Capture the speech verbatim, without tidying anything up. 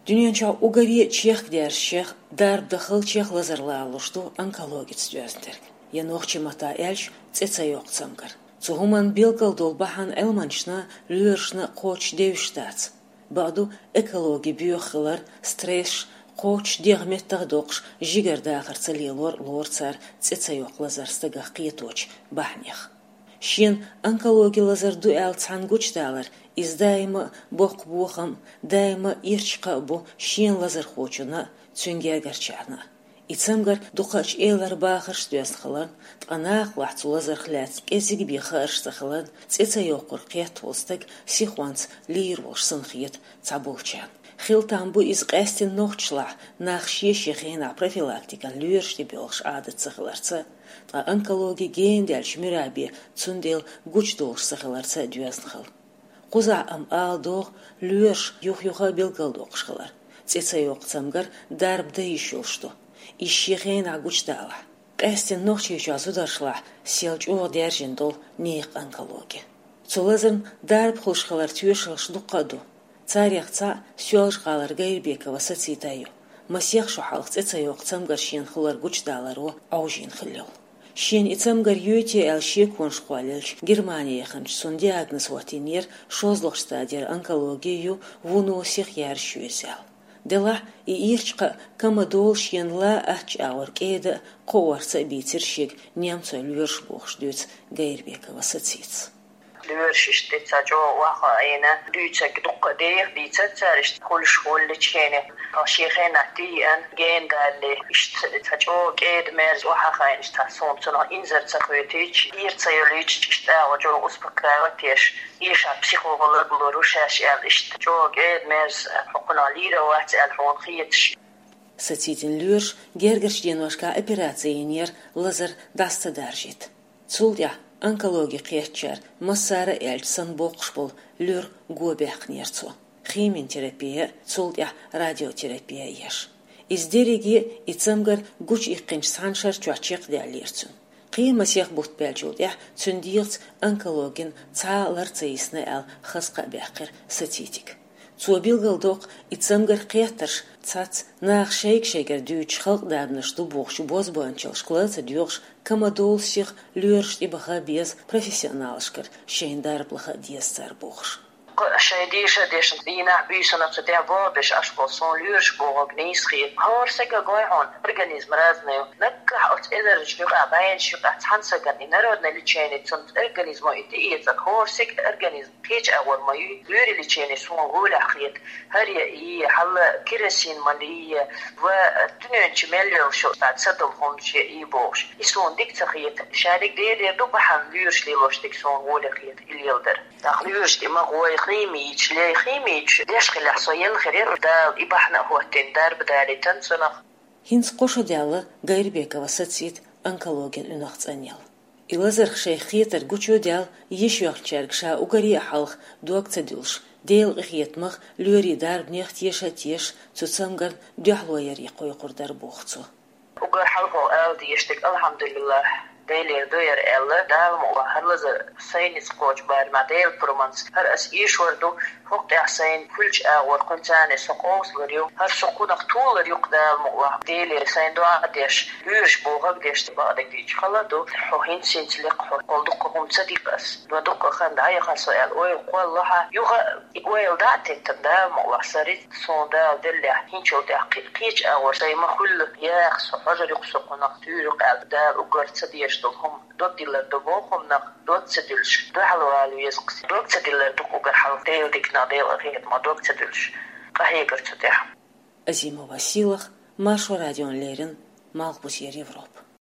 Дуьнен чохь уггаре чехкадаьржачех, дарба дахалчех лазар лоруш ду онкологица доьзна дерг. Я нохчийн маттахь аьлча, цӀе ца йоккху цамгар. Цу хӀуманна билггал долу бахьана Ӏилманчашна, лоьрашна кхочуш девзаш дац. Бакъду, экологи боьха хилар, стресс, кхочуш дегӀ меттах а доккхуш, жигара дахар ца лелор а лору цара цӀе ца йоккху лазар стагах кхеточу бахьанех. Шена онкологи лазар ду аьлла цхьанна гучудалар, иза даима а боккха бохам, даима а ирча кхаъ бу шена лазархочунна а, цуьнан гергарчарна а. И цамгар дукхачу элара бахарш доьзна хиларна, ткъа нахалахь цу лазарх лаьцна кӀеззиг бен хаарш ца хиларна, цӀе ца йоккхург кхетта волу стаг сихонца лийр волуш санна хета цхьаболчарна. Хила там бу иза къаьсттина нохчашлахь, нах шен-шен хенахь профилактикан лоьраш тӀе боьлхуш Ӏадат ца хиларца, ткъа онкологи гена даьлча муьра бен цундела гучудолуш ца хиларца доьзна хила. Кхузахь амма ала догӀу лоьраш юх-юха а билгалдоккхуш хилар. ЦӀе ца йоккху цамгар дарба дан йиш йолуш ду, иза шен хенахь гучудалахь. Къаьсттина Нохчийчохь зударшлахь сел чӀогӀа даьржина долу нехан онкологи. Цу лазарна дарба хуьлуш хиларан тоьшаллаш дуккха а ду. Царех цхьаъ Соьлжа-ГӀалара Гайрбекова Сацита ю. Масех шо хьалха цӀе ца йоккху цамгар шена хилар гучудаларо Ӏовжийна хилла йолу. Шена и цамгар йойтий аьлла шеконаш кхоллаелча, Германи яханчу цунна диагноз хӀоттийнера шозлагӀчу стадера онкологи ю, вуно сиха яьржаш ю иза аьлла. Делахь и ирча кхаъ, кама долу шена ла аттачу агӀор кӀеда а, кхоорца а бийцира шега немцойн лоьраш бохуш дуьйцу Гайрбекова Сацитас. Лоьраш иштта цхьа чӀогӀа охьахаийна, дуьйцург дуккха а деха дийцира цара, иштта хуьлуш хуьлу лечени. Шен хенахь тӀееана, гена далале, иштта цхьа чӀогӀа кӀеда-мерза охьахаийна, иштта суна цунах инзар ца хьоьтуьйтуш, ира ца йолуьйтуш, иштта агӀо чӀогӀа успокаивать еш, эшар психолог лур ву шаьш аьлла, иштта чӀогӀа кӀеда-мерза, хьо кхунах лийр а вац аьлла хьуна хеташ. Сацитин лоьраша гергарчу деношкахь операци йинера лазар дӀаса ца даржийта. Цул тӀаьхьа онкологи кхеттачара массара а аьлча санна боккхуш болу луьра го баьккхинера цо. Химитерапия, цул тӀаьхьа радиотерапия еш. Иза дерриге а и цамгар гучуиккхинчу цхьана шарчохь чекхдаьллера цуьнан. Кхин масех бутт баьллачул тӀаьхьа цуьнан дегӀаца онкологин цхьа а лар ца йисна аьлла хаза кхаъ баьккхира Сацитига. Цо билгалдоккху, и цамгар кхеттарш цхьацца наха шайга-шайгара дуьйцуш халкъан дарбанаш ду бохучу бозбуанчаллашка ла ца доьгӀуш, кама долу сиха лоьраш тӀебаха беза профессионалашкара шайна дарба лаха а деза цара бохуш. Кху шайн деша а дешна, дийнахь, буьйсанна цу тӀехь боху беш Ӏаш болу суна лоьраш бохург нийса хета. ХӀора сага гой хьуна, организм разный ю. Наггахь оцу эзарнаш юкъахь, бӀеннаш юкъахь цхьана сагана и народное лечение, цунна организмо и тӀеэцар, хӀора сага организм кхечу агӀор ма ю, лоьрийн лечение суна гӀолехь хета. ХӀара яа, хьала керосин ма лийа, ва дуьнен чу мел йолуш йолу цхьа ца долу хӀуманаш яа бохуш. И суна дика ца хета. Шадерг Делера ду бахьана лоьраш лелош дерг суна гӀоле хета и леладар. ТӀаккха лоьраш тӀе ма гӀой химича, лей химича, деш хилахь со елла хир яра, Дала и бахьана а хӀоттийна, дарба далийтина цунах. ХӀинца кхо шо даьлла Гайрбекова Сацита онкологин уьнах цӀанъелла. И лазарх шайх хетарг гучудаьлла, йиш йоьхначаьрга ша уггаре а хьалха дог ца дуьллуш, Делан къинхетамах, лоьрийн дарбанех теша а тешаш, цу цамгарна дуьхьало яре кхойкхур дара боху цо. Уггар хьалха ала дезаш дерг, алхьамдулиллахӀ, Делера ду яра аьлла, Дала мукъалахь, хӀара лазар сайнца кхочу барамехь Делан пурбанца, хӀара ас эшор ду, хӀокху тӀехь сайна хуьлучу агӀор кхуьнца со къовсалур ю, хӀара со кхунах толур ю-кх Дала мукъалахь, Делера сайна доӀа а деш, лоьраш бохург а деш, бакъдерг дийцича хала а ду, хьо хӀинца-хӀинца лекха хьо, хьол дуккха хӀума ца дика ас, но дуккха хан дӀаяхана со аьлла, ойла кхоллалахь, юха а ойла дӀа а теттина, Дала мукъалахь, са рицкъ суна Дала деллехь, хӀинцачул тӀаьхьа кхи-, кхечу агӀор сайн ма хуьллу, яха со, хьожур ю-кх со кхунах, туьйр ю-кх аьлла, Дала уггар ца дезаш долу хӀума дог диллар ду боху хӀуманах, дог ца дуьллуш, дуьхьал вала веза-кх. Дог ца диллар ду-кх уггар хьалха Делан диканах, Делан къинхетамах дог ца дуьллуш, къахьегар цу тӀехь. Азимова Сийлаха, Маршо радиона леррина, Малхбузера Европа.